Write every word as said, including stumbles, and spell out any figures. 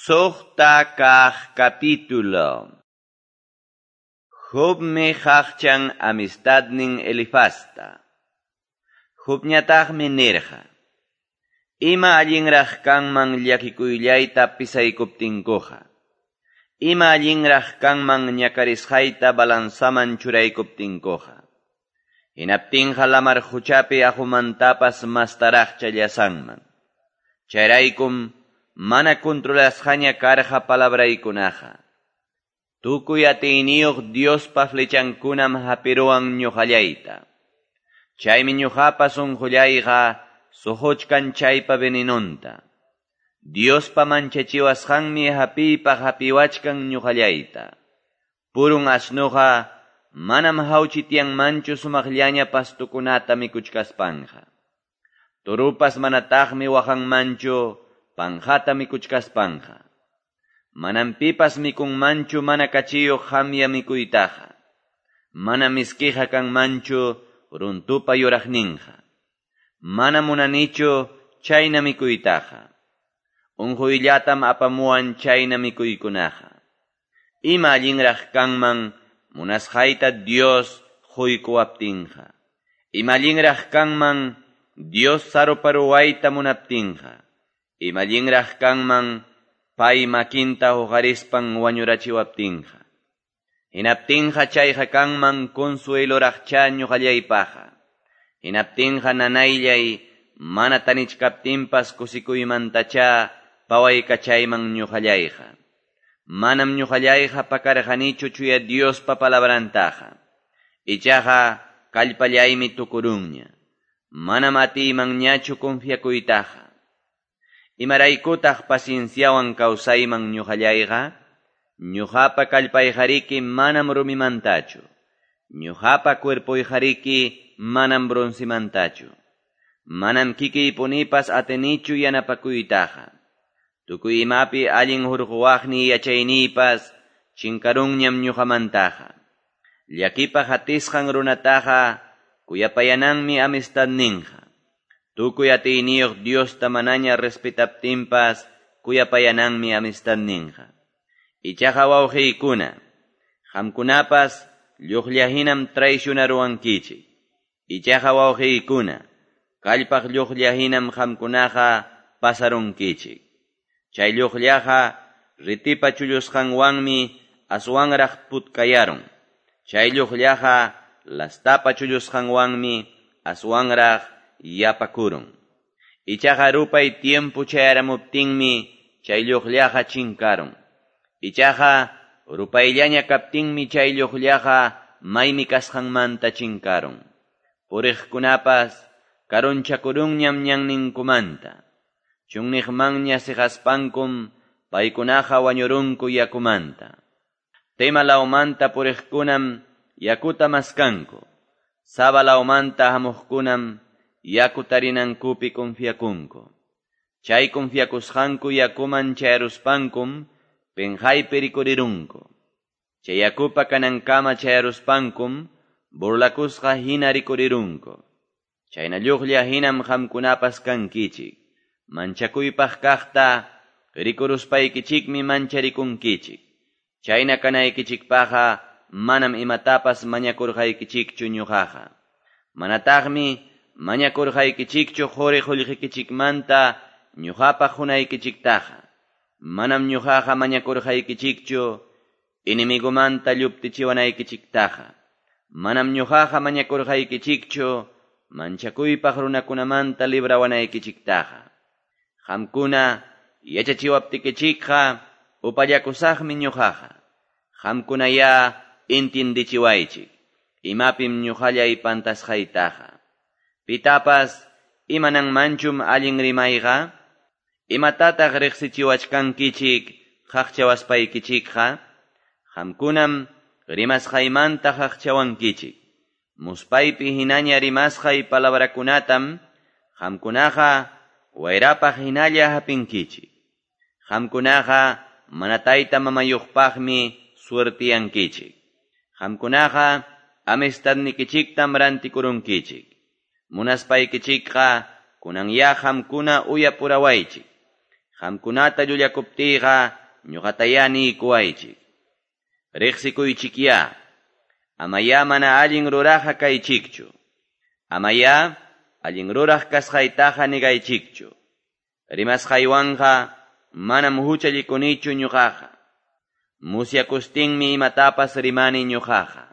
Suqta kaq capítulo. Jobmi qaqchan amistadnin Elifazta. Jobñataqmi nirqa: Ima allinraq kanman llakikuyllayta pisaykuptinkuqa. Ima allinraq kanman ñakarisqayta balanzaman churaykuptinkuqa. Hinaptinqa lamar quchapi aqumantapas mastaraqcha llasanman. Chayraykum mana controlasqaña karqa palabraykunaqa. Tukuy atiyniyuq Diospa flechankunam hapiruwan ñuqallayta. Chaymi ñuqapa sunqullayqa suquchkan chaypa venenonta. Diospa manchachiwasqanmi hapiypaq hapiwachkan ñuqallayta. Purun asnuqa manam hawchityanmanchu sumaqllaña pastukunata mikuchkaspanqa. Turupas manataqmi waqanmanchu panjata mikuchkaspanqa. Manam pipas mikunmanchu mana kachiyuq hamya mikuytaqa. Mana miskiqa kanmanchu runtupa yuraqninqa. Mana munanichu chayna mikuytaqa. Unquyllatam apamuwan chayna mikuykunaqa. Ima allinraq kanman munasqayta Dios quykuwaptinqa. Ima allinraq kanman Dios saruparuwayta munaptinqa. Ima allinraq kanman pay makinta huqarispan wañurachiwaptinqa. Hinaptinqa chayqa kanman consueloraqcha ñuqallaypaqqa. Hinaptinqa nanayllay mana tanichkaptinpas kusikuymantacha pawaykachayman ñuqallayqa. Manam ñuqallayqa pakarqanichu chuya Diospa palabrantaqa. Ichaqa kallpallaymi tukurunña. Manam atiymanñachu confiakuytaqa. Imaraykutaq pacienciawan kawsayman ñuqallayqa? Ñuqapa kallpayqariki manam rumimantachu. Ñuqapa cuerpoyqariki manam broncemantachu. Manam kikiypunipas atinichu yanapakuytaqa. Tukuy imapi allin hurquwaqniy yachayniypas chinkarunñam ñuqamantaqa. Llakipaq atisqan runataqa kuyapayananmi amistadninqa. Tukuy atiyniyuq Diosta manaña respetaptinpas kuyapayananmi amistadninqa. Ichaqa wawqiykuna, qamkunapas lluqllahinam traicionaruwankichik. Ichaqa wawqiykuna, kallpaq lluqllahinam qamkunaqa pasarunkichik. Chay lluqllaqa ritipa chullusqanwanmi aswanraq putkayarun. Chay lluqllaqa lastapa chullusqanwanmi aswanraq yapakurun. Ichaqa rupay tiempo chayaramuptinmi chay lluqllaqa chinkarun. Ichaqa rupayllaña kaptinmi chay lluqllaqa maymi kasqanmanta chinkarun. Puriqkunapas karunchakurunñam ñanninkumanta. Chunniqmanña siqaspankum paykunaqa wañurunku yakumanta. Tema lawmanta puriqkunam yakuta maskanku. Saba lawmanta hamuqkunam yaku tarinankupi confiakunku. Chay confiakusqanku yakuman chayaruspankum penqaypi rikurirunku. Chay yakupa kanankama chayaruspankum burlakusqa hina rikurirunku. Chayna lluqlla hinam qamkunapas kankichik. Manchakuypaq kaqta rikuruspaykichikmi mancharikunkichik. Chayna kanaykichikpaqqa manam imatapas mañakurqaykichikchu ñuqaqa. Manataqmi mañakurqaykichikchu quri qullqikichikmanta ñuqapaq qunaykichiktaqa. Manam ñuqaqa mañakurqaykichikchu enemigomanta lluptichiwanaykichiktaqa. Manam ñuqaqa mañakurqaykichikchu manchakuypaq runakunamanta librawanaykichiktaqa. Qamkuna yachachiwaptikichikqa upallakusaqmi ñuqaqa. Qamkunaya intindichiwaychik imapim ñuqallay pantasqaytaqa. Pitapas imananmanchum allin rimayqa? Imatataq riqsichiwachkankichik qaqchawaspaykichikqa? Qamkunam rimasqaymanta qaqchawankichik. Muspaypi hinaña rimasqay palabrakunatam qamkunaqa wayrapaq hinalla hapinkichik. Qamkunaqa mana tayta mamayuqpaqmi suertiyankichik. Qamkunaqa amistadnikichiktam rantikurunkichik. Munaspaykichikqa kunanya qamkuna uyapurawaychik. Qamkunata llullakuptiyqa ñoqatayá niykuwaychik. Reqsikuychikyá. Amayá mana allin ruraqqa kaychikchu. Amayá allin ruraq kasqaytaqa negaychikchu. Rimasqaywanqa manam huchallikunichu ñoqaqa. Musyakustinmi imatapas rimani ñoqaqa.